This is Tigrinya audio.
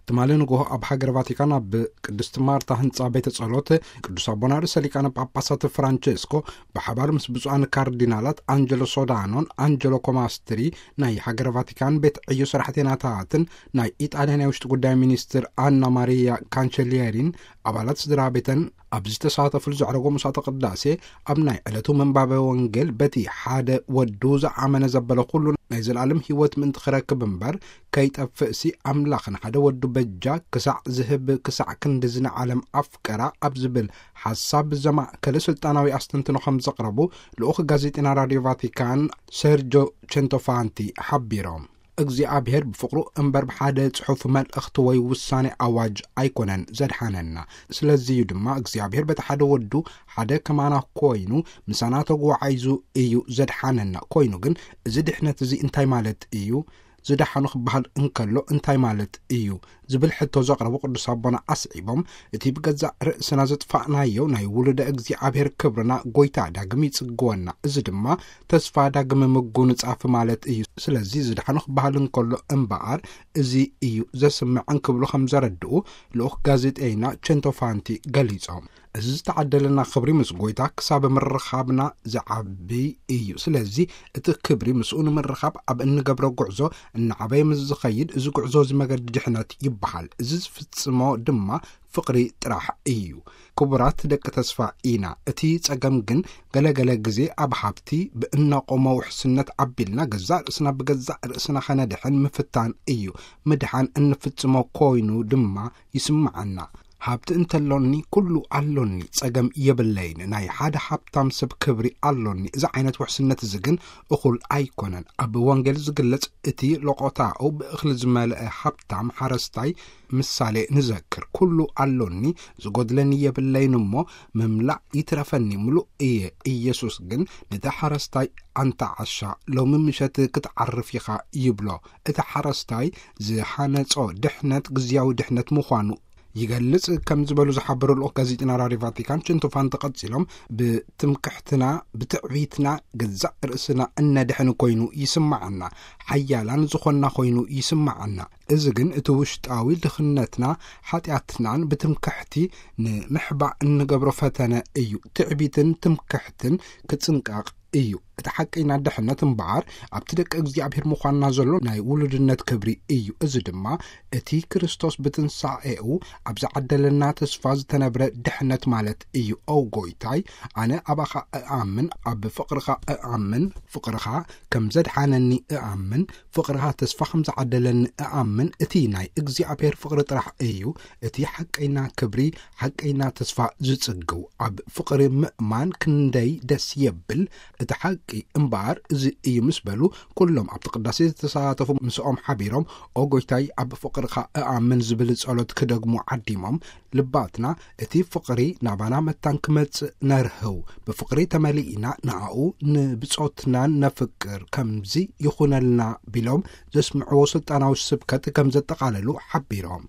ትማሊ ንግሆ ኣብ ሃገር ቫቲካን ኣብ ቅድስቲ ማርታ ህንፃ ቤተ ጸሎት ቅዱስ ኣቦና ርእሰ ሊቃነ ጳጳሳት ፍራንቸስኮ ብሓባር ምስ ብፁዓን ካርዲናላት ኣንጀሎ ሶዳኖን ኣንጀሎ ኮማስትሪ፣ ናይ ሃገር ቫቲካን ቤት ዕዮ ሰራሕተኛታትን ናይ ኢጣልያ ናይ ውሽጢ ጉዳይ ሚኒስትር ኣና ማሪያ ካንቸሊየሪን፣ ኣባላት ስድራ ቤተን ኣብ ዝተሳተፉሉ ዘዕረጎ ምሳተ ቅዳሴ፣ ኣብ ናይ ዕለቱ ምንባበ ወንጌል በቲ ሓደ ወዱ ዝኣመነ ዘበለ ኩሉ ናይ ዘላለም ህይወት ምእንቲ ክረክብ እምበር ከይጠፍእሲ ኣምላኽ ንሓደ ወዱ በጃ ክሳዕ ዝህብ ክሳዕ ክንድዚ ንዓለም ኣፍቀራ ኣብ ዝብል ሓሳብ ዘማእከለ ስልጣናዊ ኣስተንትኖ ከም ዘቕረቡ ልኡኽ ጋዜጠና ራድዮ ቫቲካን ሰርጆ ቸንቶፋንቲ ሓቢሮም። እግዚኣብሔር ብፍቕሩ እምበር ብሓደ ጽሑፍ መልእኽቲ ወይ ውሳኔ ኣዋጅ ኣይኮነን ዘድሓነና። ስለዚ እዩ ድማ እግዚኣብሔር በቲ ሓደ ወዱ ሓደ ከማና ኮይኑ ምሳና ተጓዓይዙ እዩ ዘድሓነና። ኮይኑ ግን እዚ ድሕነት እዚ እንታይ ማለት እዩ? ዝደሓኑ ክበሃል እንከሎ እንታይ ማለት እዩ? ዝብል ሕቶ ዘቕረቡ ቅዱስ ኣቦና ኣስዒቦም፣ እቲ ብገዛእ ርእስና ዘጥፋእናዮ ናይ ውሉደ እግዚኣብሔር ክብርና ጎይታ ዳግም ይጽግወና። እዚ ድማ ተስፋ ዳግም ምጉንጻፍ ማለት እዩ። ስለዚ ዝደሓኑ ክበሃል እንከሎ እምበኣር እዚ እዩ ዘስምዕ እንክብሉ ከም ዘረድኡ ልኡኽ ጋዜጠይና ቸንቶፋንቲ ገሊጾም። እዚ ዝተዓደለና ክብሪ ምስ ጎይታ ክሳብ ምርኻብና ዝዓቢ እዩ። ስለዚ እቲ ክብሪ ምስኡ ንምርኻብ ኣብ እንገብሮ ጉዕዞ እናዓበየ ምስ ዝኸይድ፣ እዚ ጉዕዞ እዚ መገዲ ድሕነት ይበሃል። እዚ ዝፍጽሞ ድማ ፍቕሪ ጥራሕ እዩ። ክቡራት ደቂ ተስፋ ኢና። እቲ ጸገም ግን ገለገለ ግዜ ኣብ ሃብቲ ብእነቆሞ ውሕስነት ኣቢልና ገዛእ ርእስና ብገዛእ ርእስና ኸነድሕን ምፍታን እዩ። ምድሓን እንፍጽሞ ኮይኑ ድማ ይስምዓና። ሃብቲ እንተሎኒ ኩሉ ኣሎኒ፣ ጸገም የብለይን፣ ናይ ሓደ ሃብታም ሰብ ክብሪ ኣሎኒ። እዚ ዓይነት ውሕስነት እዚ ግን እኹል ኣይኮነን። ኣብ ወንጌል ዝግለጽ እቲ ሎቆታኡ ብእኽሊ ዝመልአ ሃብታም ሓረስታይ ምሳሌ ንዘክር። ኩሉ ኣሎኒ፣ ዝጎድለኒ የብለይን እሞ ምምላእ ይትረፈኒ፣ ምሉእ እየ። ኢየሱስ ግን ነቲ ሓረስታይ ኣንታ ዓሻ፣ ሎሚ ምሸት ክትዓርፍ ኢኻ ይብሎ። እቲ ሓረስታይ ዝሃነጾ ድሕነት ግዝያዊ ድሕነት ምዃኑ ይገልጽ ከም ዝበሉ ዝሓበሩ ልኡኽ ጋዜጠና ራድዮ ቫቲካን ችንቶፋንቲ ቀጺሎም፣ ብትምክሕትና ብትዕቢትና ገዛእ ርእስና እነድሕን ኮይኑ ይስምዓና፣ ሓያላን ዝኾንና ኮይኑ ይስምዓና። እዚ ግን እቲ ውሽጣዊ ድኽነትና ሓጢኣትናን ብትምክሕቲ ንምሕባእ እንገብሮ ፈተነ እዩ። ትዕቢትን ትምክሕትን ክጽንቀቕ እዩ። እቲ ሓቀይና ድሕነት እምበኣር ኣብቲ ደቂ እግዚኣብሔር ምዃንና ዘሎ ናይ ውሉድነት ክብሪ እዩ። እዚ ድማ እቲ ክርስቶስ ብትንሳኤኡ ኣብ ዝዓደለና ተስፋ ዝተነብረ ድሕነት ማለት እዩ። ኦ ጎይታይ፣ ኣነ ኣባኻ እኣምን፣ ኣብ ፍቕርኻ እኣምን፣ ፍቕርኻ ከም ዘድሓነኒ እኣምን፣ ፍቕርኻ ተስፋ ከም ዝዓደለኒ እኣምን። እቲ ናይ እግዚኣብሔር ፍቕሪ ጥራሕ እዩ እቲ ሓቀይና ክብሪ፣ ሓቀይና ተስፋ ዝጽግው። ኣብ ፍቕሪ ምእማን ክንደይ ደስ የብል። እቲ ሓቂ እምበኣር እዚ እዩ ምስ በሉ፣ ኩሎም ኣብቲ ቅዳሴ ዝተሳተፉ ምስኦም ሓቢሮም፣ ኦ ጎይታይ፣ ኣብ ፍቕርኻ እኣምን ዝብል ጸሎት ክደግሙ ዓዲሞም፣ ልባትና እቲ ፍቕሪ ናባና መታን ክመጽእ ነርህው። ብፍቕሪ ተመሊእና ንኣኡ ንብጾትናን ነፍቅር። ከምዚ ይኹነልና ቢሎም ዘስምዕዎ ስልጣናዊ ስብከት ከም ዘጠቓለሉ ሓቢሮም።